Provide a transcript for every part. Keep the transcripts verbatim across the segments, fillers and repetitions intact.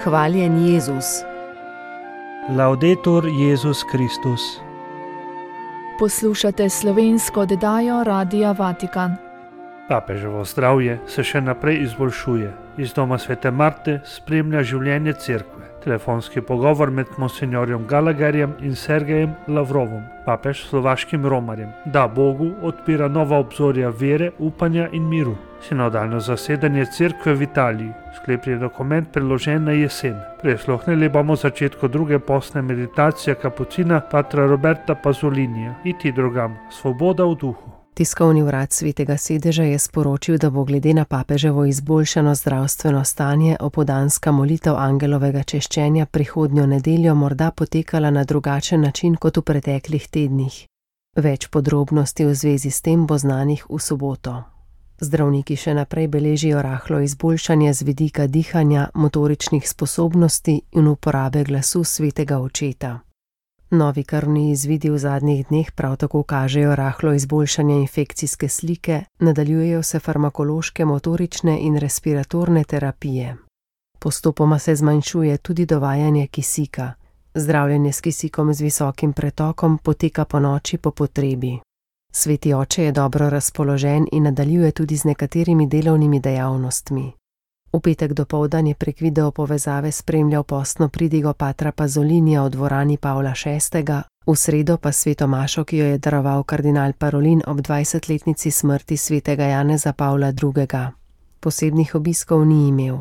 Hvaljen Jezus. Laudetur Jezus Kristus. Poslušate slovensko oddajo Radia Vatikan. Papeževo zdravje se še naprej izboljšuje. Iz doma svete Marte spremlja življenje cerkve. Telefonski pogovor med monsinjorjem Gallagherjem in Sergejem Lavrovom, papež slovaškim romarjem, da Bogu odpira nova obzorja vere, upanja in miru. Sinodalno zasedanje cerkve v Italiji, sklepni dokument priložen na jesen. Prisluhnili bomo začetku druge postne meditacije kapucina patra Roberta Pazzolinija, Iti drugam, svoboda v duhu. Tiskovni urad Svetega sedeža je sporočil, da bo glede na papeževo izboljšano zdravstveno stanje opoldanska molitev angelovega češčenja prihodnjo nedeljo morda potekala na drugačen način kot v preteklih tednih. Več podrobnosti v zvezi s tem bo znanih v soboto. Zdravniki še naprej beležijo rahlo izboljšanje z vidika dihanja, motoričnih sposobnosti in uporabe glasu svetega očeta. Novi krvni izvidi v zadnjih dneh prav tako kažejo rahlo izboljšanje infekcijske slike, nadaljujejo se farmakološke, motorične in respiratorne terapije. Postopoma se zmanjšuje tudi dovajanje kisika. Zdravljenje s kisikom z visokim pretokom poteka po noči po potrebi. Sveti oče je dobro razpoložen in nadaljuje tudi z nekaterimi delovnimi dejavnostmi. V petek dopoldan je prek video povezave spremljal postno pridigo patra Pazzolinija v dvorani Pavla šestega, v sredo pa sveto mašo, ki jo je daroval kardinal Parolin ob dvajsetletnici smrti svetega Janeza Pavla drugega. Posebnih obiskov ni imel.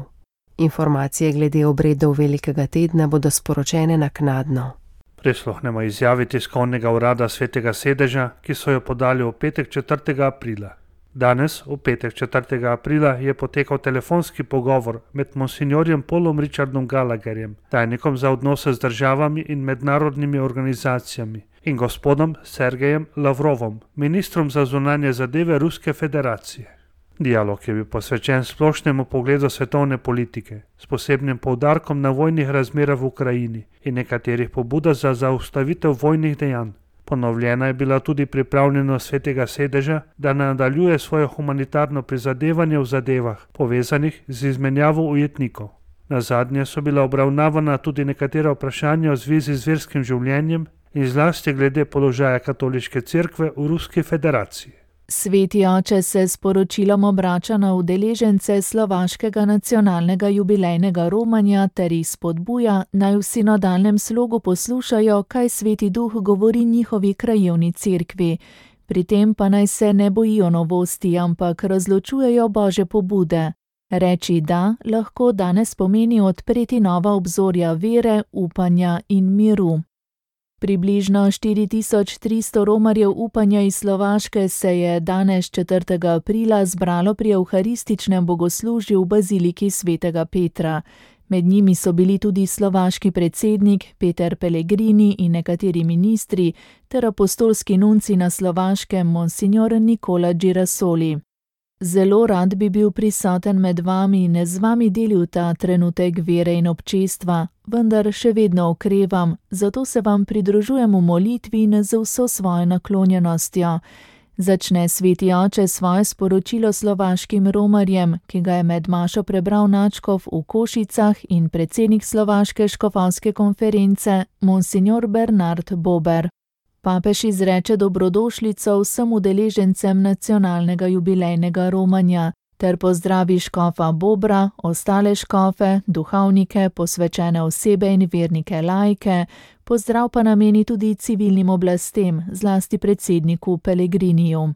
Informacije glede obredov velikega tedna bodo sporočene naknadno. Prisluhnemo izjavi tiskovnega urada Svetega sedeža, ki so jo podali v petek četrtega aprila. Danes, v petek četrtega aprila, je potekal telefonski pogovor med monsinjorjem Paulom Richardom Gallagherjem, tajnikom za odnose z državami in mednarodnimi organizacijami, in gospodom Sergejem Lavrovom, ministrom za zunanje zadeve Ruske federacije. Dialog je bil posvečen splošnemu pogledu svetovne politike, s posebnim poudarkom na vojnih razmerah v Ukrajini in nekaterih pobudah za zaustavitev vojnih dejanj. Ponovljena je bila tudi pripravljenost Svetega sedeža, da nadaljuje svoje humanitarno prizadevanje v zadevah, povezanih z izmenjavo ujetnikov. Nazadnje so bila obravnavana tudi nekatera vprašanja v zvezi z verskim življenjem in zlasti glede položaja katoliške cerkve v Ruski federaciji. Sveti oče se s poročilom obrača na udeležence slovaškega nacionalnega jubilejnega romanja ter jih spodbuja, naj v sinodalnem slogu poslušajo, kaj Sveti duh govori njihovi krajevni cerkvi. Pri tem pa naj se ne bojijo novosti, ampak razločujejo Božje pobude. Reči da lahko danes pomeni odpreti nova obzorja vere, upanja in miru. Približno štiri tisoč tristo romarjev upanja iz Slovaške se je danes četrtega aprila zbralo pri evharističnem bogoslužju v baziliki svetega Petra. Med njimi so bili tudi slovaški predsednik Peter Pellegrini in nekateri ministri ter apostolski nunci na Slovaškem monsinjor Nikola Girasoli. Zelo rad bi bil prisoten med vami in z vami delil ta trenutek vere in občestva, vendar še vedno okrevam, zato se vam pridružujem v molitvi in z vso svojo naklonjenostjo. Začne sveti oče svoje sporočilo slovaškim romarjem, ki ga je med mašo prebral nadškof v Košicah in predsednik slovaške škofovske konference, monsinjor Bernard Bober. Papež izreče dobrodošlico vsem udeležencem nacionalnega jubilejnega romanja ter pozdravi škofa Bobra, ostale škofe, duhovnike, posvečene osebe in vernike laike, pozdrav pa nameni tudi civilnim oblastem, zlasti predsedniku Pellegriniju.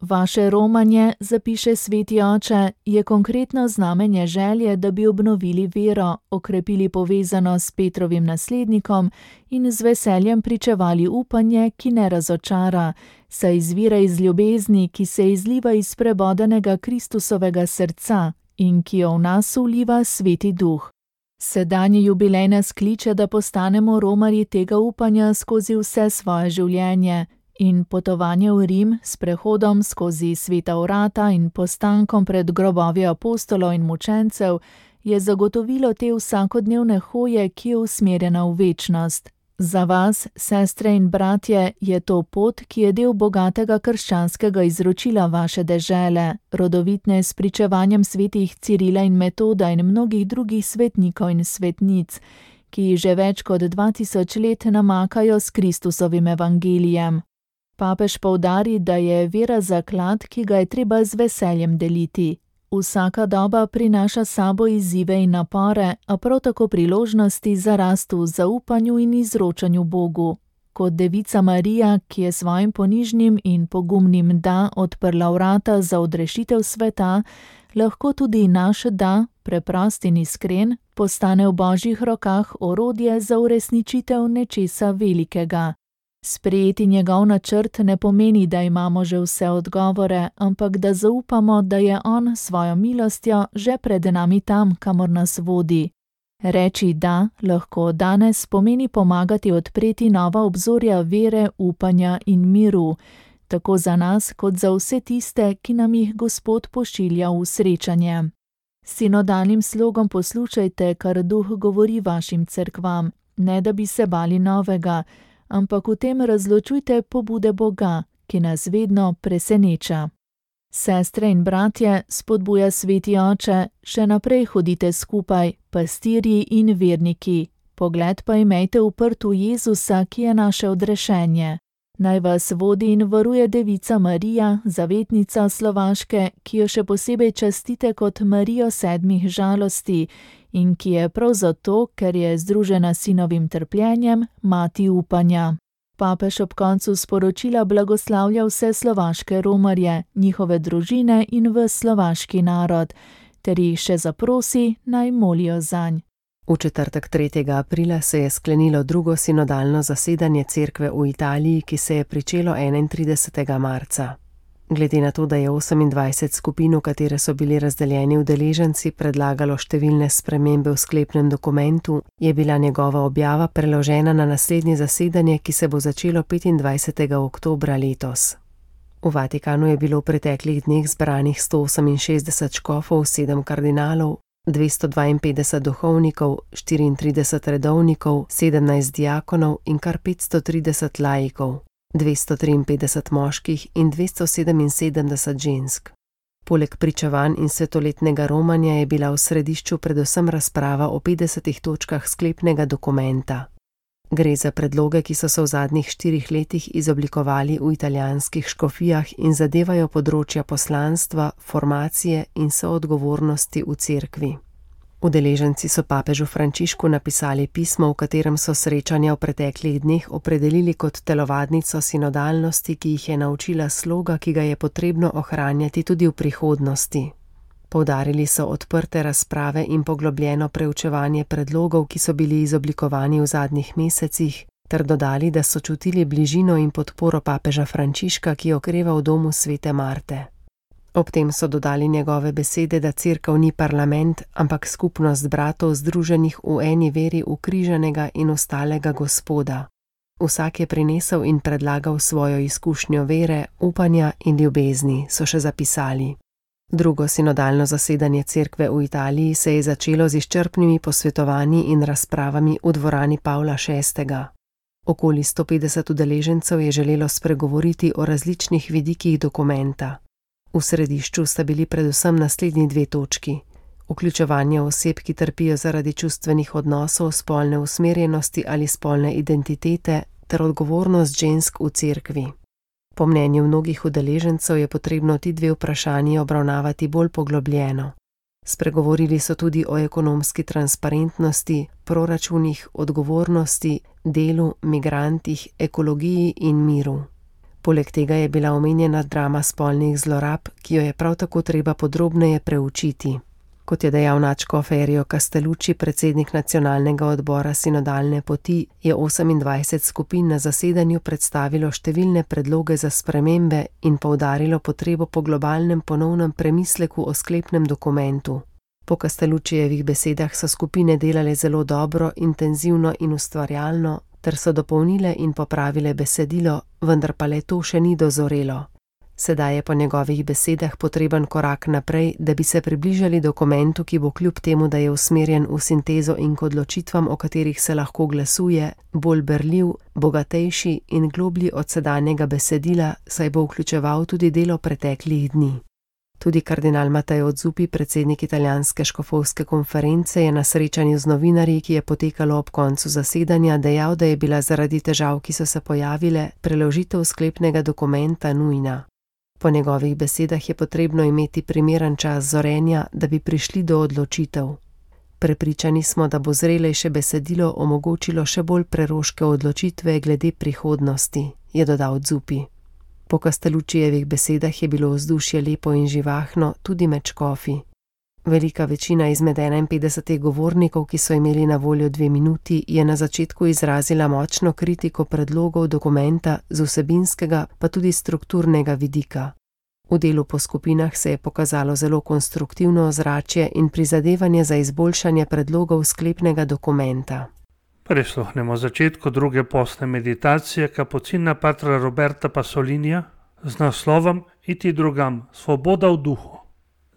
Vaše romanje, zapiše sveti oče, je konkretno znamenje želje, da bi obnovili vero, okrepili povezanost s Petrovim naslednikom in z veseljem pričevali upanje, ki ne razočara, saj izvira iz ljubezni, ki se izliva iz prebodanega Kristusovega srca in ki jo v nas vliva Sveti duh. Sedanji jubilej nas kliče, da postanemo romarji tega upanja skozi vse svoje življenje, in potovanje v Rim s prehodom skozi sveta vrata in postankom pred grobovi apostolov in mučencev je zagotovilo te vsakodnevne hoje, ki je usmerjena v večnost. Za vas, sestre in bratje, je to pot, ki je del bogatega krščanskega izročila vaše dežele, rodovitne s pričevanjem svetih Cirila in Metoda in mnogih drugih svetnikov in svetnic, ki že več kot dva tisoč let namakajo s Kristusovim evangelijem. Papež poudari, da je vera zaklad, ki ga je treba z veseljem deliti. Vsaka doba prinaša sabo izzive in napore, a prav tako priložnosti za rast v zaupanju in izročanju Bogu. Kot devica Marija, ki je svojim ponižnim in pogumnim da odprla vrata za odrešitev sveta, lahko tudi naš da, preprost in iskren, postane v Božjih rokah orodje za uresničitev nečesa velikega. Sprejeti njegov načrt ne pomeni, da imamo že vse odgovore, ampak da zaupamo, da je on svojo milostjo že pred nami tam, kamor nas vodi. Reči da lahko danes pomeni pomagati odpreti nova obzorja vere, upanja in miru, tako za nas kot za vse tiste, ki nam jih Gospod pošilja v srečanje. S sinodalnim slogom poslušajte, kar Duh govori vašim cerkvam, ne da bi se bali novega, ampak v tem razločujte pobude Boga, ki nas vedno preseneča. Sestre in bratje, spodbuja Sveti Oče, še naprej hodite skupaj, pastirji in verniki. Pogled pa imejte uprt v Jezusa, ki je naše odrešenje. Naj vas vodi in varuje devica Marija, zavetnica Slovaške, ki jo še posebej častite kot Marijo sedmih žalosti in ki je prav zato, ker je združena s sinovim trpljenjem, mati upanja. Papež ob koncu sporočila blagoslavlja vse slovaške romarje, njihove družine in ves slovaški narod, ter jih še zaprosi, naj molijo zanj. V četrtek tretjega aprila se je sklenilo drugo sinodalno zasedanje cerkve v Italiji, ki se je pričelo enaintridesetega marca. Glede na to, da je osemindvajset skupin, v katere so bili razdeljeni udeleženci, predlagalo številne spremembe v sklepnem dokumentu, je bila njegova objava preložena na naslednje zasedanje, ki se bo začelo petindvajsetega oktobra letos. V Vatikanu je bilo v preteklih dneh zbranih sto oseminšestdeset škofov, sedem kardinalov, dvesto dvainpetdeset duhovnikov, štiriintrideset redovnikov, sedemnajst diakonov in kar petsto trideset laikov, dvesto triinpetdeset moških in dvesto sedeminsedemdeset žensk. Poleg pričevanj in svetoletnega romanja je bila v središču predvsem razprava o petdesetih točkah sklepnega dokumenta. Gre za predloge, ki so se v zadnjih štirih letih izoblikovali v italijanskih škofijah in zadevajo področja poslanstva, formacije in soodgovornosti v cerkvi. Udeleženci so papežu Frančišku napisali pismo, v katerem so srečanja v preteklih dneh opredelili kot telovadnico sinodalnosti, ki jih je naučila sloga, ki ga je potrebno ohranjati tudi v prihodnosti. Poudarili so odprte razprave in poglobljeno preučevanje predlogov, ki so bili izoblikovani v zadnjih mesecih, ter dodali, da so čutili bližino in podporo papeža Frančiška, ki okreva v domu svete Marte. Ob tem so dodali njegove besede, da cerkev ni parlament, ampak skupnost bratov združenih v eni veri ukrižanega in ostalega Gospoda. Vsak je prinesel in predlagal svojo izkušnjo vere, upanja in ljubezni, so še zapisali. Drugo sinodalno zasedanje cerkve v Italiji se je začelo z izčrpnimi posvetovanji in razpravami v dvorani Pavla šestega. Okoli sto petdeset udeležencev je želelo spregovoriti o različnih vidikih dokumenta. V središču sta bili predvsem naslednji dve točki: vključevanje oseb, ki trpijo zaradi čustvenih odnosov, spolne usmerjenosti ali spolne identitete, ter odgovornost žensk v cerkvi. Po mnenju mnogih udeležencev je potrebno ti dve vprašanji obravnavati bolj poglobljeno. Spregovorili so tudi o ekonomski transparentnosti, proračunih, odgovornosti, delu, migrantih, ekologiji in miru. Poleg tega je bila omenjena drama spolnih zlorab, ki jo je prav tako treba podrobneje preučiti. Kot je dejal nadškof Erio Castellucci, predsednik nacionalnega odbora sinodalne poti, je osemindvajset skupin na zasedanju predstavilo številne predloge za spremembe in poudarilo potrebo po globalnem ponovnem premisleku o sklepnem dokumentu. Po Castelluccijevih besedah so skupine delale zelo dobro, intenzivno in ustvarjalno, ter so dopolnile in popravile besedilo, vendar pa le to še ni dozorelo. Sedaj je po njegovih besedah potreben korak naprej, da bi se približali dokumentu, ki bo kljub temu, da je usmerjen v sintezo in k odločitvam, o katerih se lahko glasuje, bolj berljiv, bogatejši in globlji od sedanjega besedila, saj bo vključeval tudi delo preteklih dni. Tudi kardinal Matteo Zuppi, predsednik italijanske škofovske konference, je na srečanju z novinarji, ki je potekalo ob koncu zasedanja, dejal, da je bila zaradi težav, ki so se pojavile, preložitev sklepnega dokumenta nujna. Po njegovih besedah je potrebno imeti primeren čas zorenja, da bi prišli do odločitev. Prepričani smo, da bo zrelejše besedilo omogočilo še bolj preroške odločitve glede prihodnosti, je dodal Zuppi. Po Castelluccijevih besedah je bilo vzdušje lepo in živahno, tudi med škofi. Velika večina izmed enainpetdesetih govornikov, ki so imeli na voljo dve minuti, je na začetku izrazila močno kritiko predlogov dokumenta z vsebinskega pa tudi strukturnega vidika. V delu po skupinah se je pokazalo zelo konstruktivno ozračje in prizadevanje za izboljšanje predlogov sklepnega dokumenta. Prisluhnemo začetku druge postne meditacije kapucina patra Roberta Pasolinija z naslovom Iti drugam, svoboda v duhu.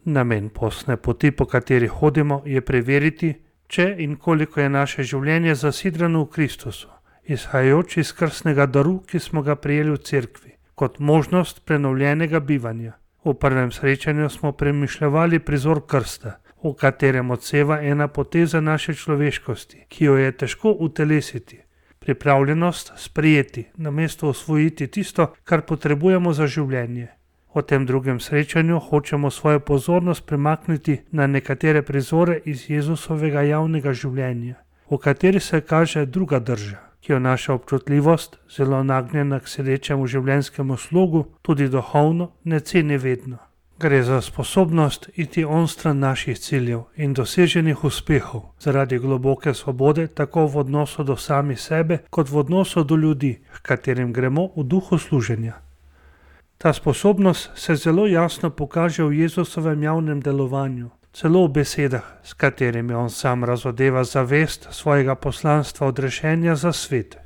Namen postne poti, po kateri hodimo, je preveriti, če in koliko je naše življenje zasidrano v Kristusu, izhajajoč iz krstnega daru, ki smo ga prijeli v cerkvi, kot možnost prenovljenega bivanja. V prvem srečanju smo premišljevali prizor krsta, v katerem odseva ena poteza naše človeškosti, ki jo je težko utelesiti. Pripravljenost sprejeti, namesto osvojiti tisto, kar potrebujemo za življenje. V tem drugem srečanju hočemo svojo pozornost premakniti na nekatere prizore iz Jezusovega javnega življenja, v kateri se kaže druga drža, ki jo naša občutljivost, zelo nagnjena k sedečemu življenjskemu slogu, tudi duhovno, ne ceni vedno. Gre za sposobnost iti onstran naših ciljev in doseženih uspehov zaradi globoke svobode tako v odnosu do sami sebe kot v odnosu do ljudi, h katerim gremo v duhu služenja. Ta sposobnost se zelo jasno pokaže v Jezusovem javnem delovanju, celo v besedah, s katerimi on sam razodeva zavest svojega poslanstva odrešenja za svet.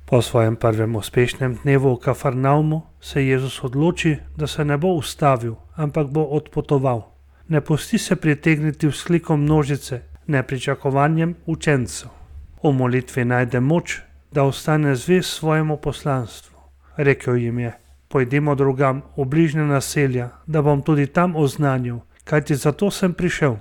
Po svojem prvem uspešnem dnevu v Kafarnaumu se Jezus odloči, da se ne bo ustavil, ampak bo odpotoval. Ne pusti se pritegniti vzklikom množice, nepričakovanjem učencev. V molitvi najde moč, da ostane zvest svojemu poslanstvu. Rekel jim je: Pojdimo drugam v bližnja naselja, da bom tudi tam oznanil, kajti zato sem prišel.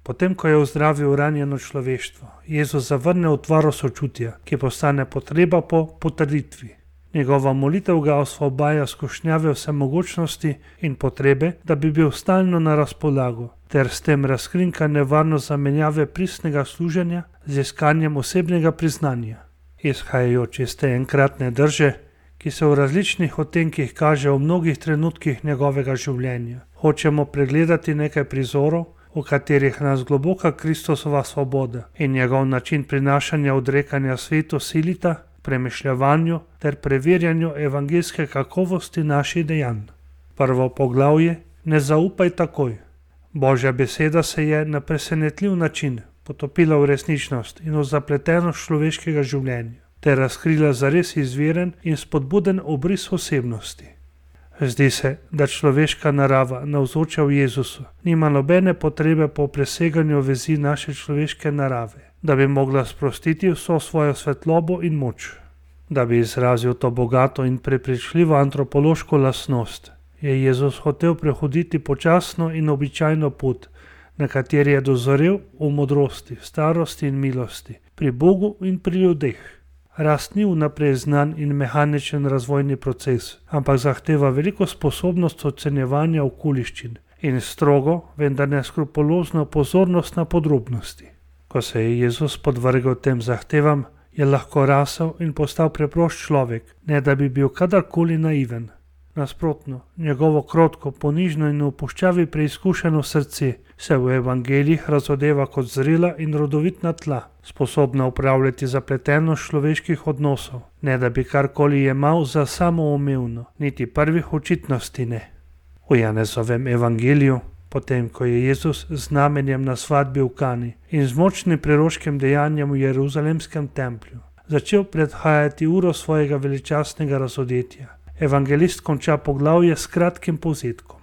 Potem, ko je ozdravil ranjeno človeštvo, Jezus zavrne utvaro sočutja, ki postane potreba po potrditvi. Njegova molitev ga osvobaja skušnjave vsemogočnosti in potrebe, da bi bil stalno na razpolago, ter s tem razkrinka nevarnost zamenjave pristnega služenja z iskanjem osebnega priznanja. Izhajajoč iz te enkratne drže, ki se v različnih odtenkih kaže v mnogih trenutkih njegovega življenja, hočemo pregledati nekaj prizorov, v katerih nas globoka Kristusova svoboda in njegov način prinašanja odrekanja svetu silita, premišljevanju ter preverjanju evangeljske kakovosti naših dejanj. Prvo poglavje: Ne zaupaj takoj. Božja beseda se je na presenetljiv način potopila v resničnost in v zapletenost človeškega življenja, ter razkrila zares izviren in spodbuden obris osebnosti. Zdi se, da človeška narava, navzoča v Jezusu, nima nobene potrebe po preseganju vezi naše človeške narave, da bi mogla sprostiti vso svojo svetlobo in moč. Da bi izrazil to bogato in prepričljivo antropološko lastnost, je Jezus hotel prehoditi počasno in običajno pot, na kateri je dozorel v modrosti, starosti in milosti, pri Bogu in pri ljudeh. Rast ni vnaprej znan in mehaničen razvojni proces, ampak zahteva veliko sposobnost ocenjevanja okoliščin in strogo, vendar neskrupulozno pozornost na podrobnosti. Ko se je Jezus podvrgel tem zahtevam, je lahko rasel in postal preprost človek, ne da bi bil kadarkoli naiven. Nasprotno, njegovo krotko, ponižno in v puščavi preizkušeno srce se v evangelijih razodeva kot zrela in rodovitna tla, sposobna upravljati zapletenost človeških odnosov, ne da bi karkoli jemal za samoumevno, niti prvih očitnosti ne. V Janezovem evangeliju, potem ko je Jezus z znamenjem na svadbi v Kani in z močnim preroškim dejanjem v Jeruzalemskem templju začel predhajati uro svojega veličastnega razodetja, Evangelist konča poglavje s kratkim povzetkom.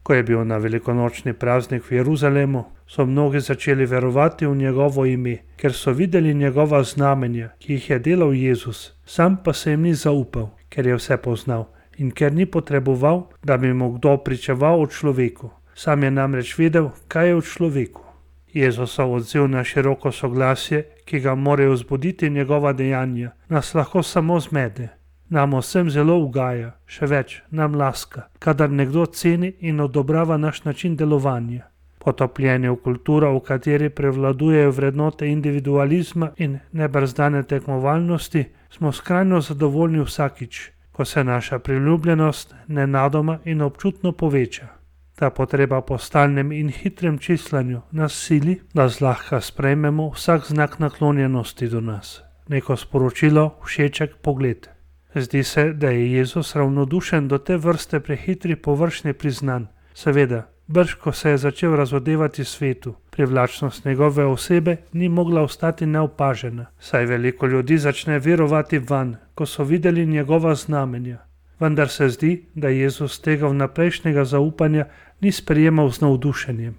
Ko je bil na velikonočni praznik v Jeruzalemu, so mnogi začeli verovati v njegovo ime, ker so videli njegova znamenja, ki jih je delal Jezus, sam pa se jim ni zaupal, ker je vse poznal in ker ni potreboval, da bi mu kdo pričeval o človeku. Sam je namreč vedel, kaj je v človeku. Jezusov odziv na široko soglasje, ki ga morajo vzbuditi njegova dejanja, nas lahko samo zmede. Nam vsem zelo ugaja, še več, nam laska, kadar nekdo ceni in odobrava naš način delovanja. Potopljeni v kulturo, v kateri prevladujejo vrednote individualizma in nebrzdane tekmovalnosti, smo skrajno zadovoljni vsakič, ko se naša priljubljenost nenadoma in občutno poveča. Ta potreba po stalnem in hitrem čislanju nas sili, da zlahka sprejmemo vsak znak naklonjenosti do nas, neko sporočilo, všeček pogled. Zdi se, da je Jezus ravnodušen do te vrste prehitri površni priznanj. Seveda, brž ko se je začel razodevati svetu, privlačnost njegove osebe ni mogla ostati neopažena, saj veliko ljudi začne verovati vanj, ko so videli njegova znamenja. Vendar se zdi, da Jezus tega vnaprejšnjega zaupanja ni sprejemal z navdušenjem.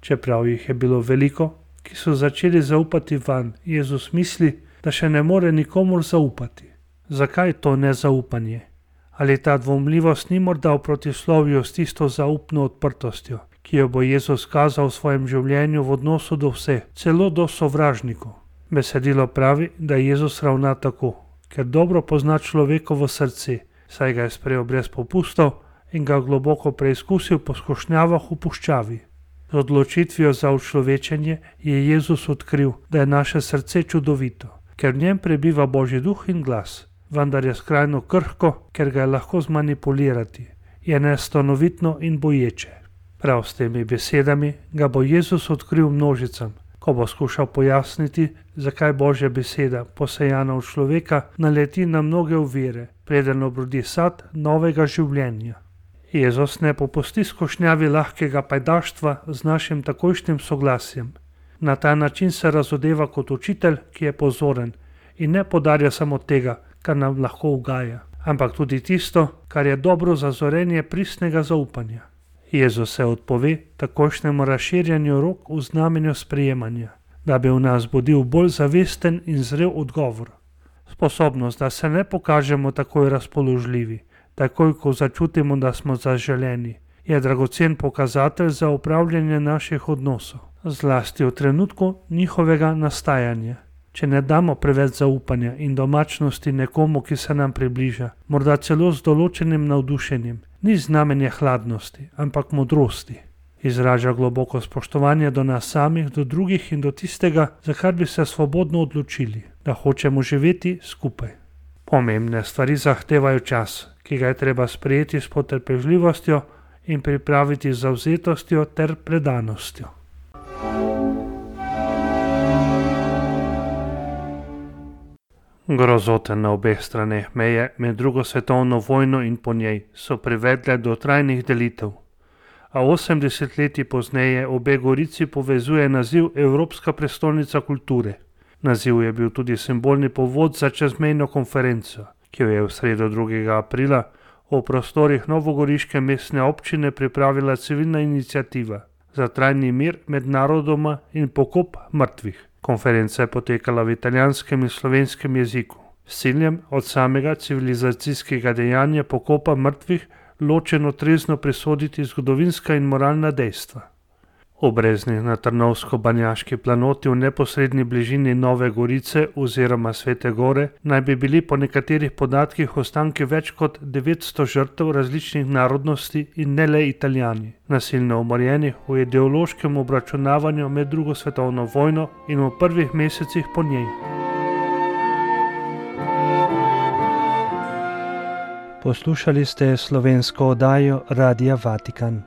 Čeprav jih je bilo veliko, ki so začeli zaupati vanj, Jezus misli, da še ne more nikomur zaupati. Zakaj to nezaupanje? Ali ta dvomljivost ni morda v protislovju s tisto zaupno odprtostjo, ki jo bo Jezus kazal v svojem življenju v odnosu do vseh, celo do sovražnikov? Besedilo pravi, da Jezus ravna tako, ker dobro pozna človekovo srce, saj ga je sprejel brez popustov in ga globoko preizkusil po skušnjavah v puščavi. Z odločitvijo za učlovečenje je Jezus odkril, da je naše srce čudovito, ker v njem prebiva Božji duh in glas. Vendar je skrajno krhko, ker ga je lahko zmanipulirati, je nestanovitno in boječe. Prav s temi besedami ga bo Jezus odkril množicam, ko bo skušal pojasniti, zakaj Božja beseda, posejana v človeka, naleti na mnoge ovire, preden obrodi sad novega življenja. Jezus ne popusti skušnjavi lahkega pajdaštva z našim takojšnjim soglasjem. Na ta način se razodeva kot učitelj, ki je pozoren in ne podarja samo tega, kar nam lahko ugaja, ampak tudi tisto, kar je dobro za zorenje pristnega zaupanja. Jezus se odpove takojšnjemu razširjanju rok v znamenju sprejemanja, da bi v nas budil bolj zavesten in zrel odgovor. Sposobnost, da se ne pokažemo takoj razpoložljivi, takoj ko začutimo, da smo zaželeni, je dragocen pokazatelj za upravljanje naših odnosov, zlasti v trenutku njihovega nastajanja. Če ne damo preveč zaupanja in domačnosti nekomu, ki se nam približa, morda celo z določenim navdušenjem, ni znamenje hladnosti, ampak modrosti. Izraža globoko spoštovanje do nas samih, do drugih in do tistega, za kar bi se svobodno odločili, da hočemo živeti skupaj. Pomembne stvari zahtevajo čas, ki ga je treba sprejeti s potrpežljivostjo in pripraviti z zavzetostjo ter predanostjo. Grozote na obeh straneh meje med drugo svetovno vojno in po njej so privedle do trajnih delitev, a osem desetletij pozneje obe gorici povezuje naziv Evropska prestolnica kulture. Naziv je bil tudi simbolni povod za čezmejno konferenco, ki jo je v sredo drugega aprila v prostorih novogoriške mestne občine pripravila civilna iniciativa za trajni mir med narodoma in pokop mrtvih. Konferenca je potekala v italijanskem in slovenskem jeziku, s ciljem od samega civilizacijskega dejanja pokopa mrtvih ločeno trezno presoditi zgodovinska in moralna dejstva. V Breznih na Trnovsko-Banjaški planoti v neposredni bližini Nove Gorice oziroma Svete Gore naj bi bili po nekaterih podatkih ostanki več kot devetsto žrtev različnih narodnosti in ne le Italijani, nasilno umorjenih v ideološkem obračunavanju med drugo svetovno vojno in v prvih mesecih po njej. Poslušali ste slovensko oddajo Radia Vatikan.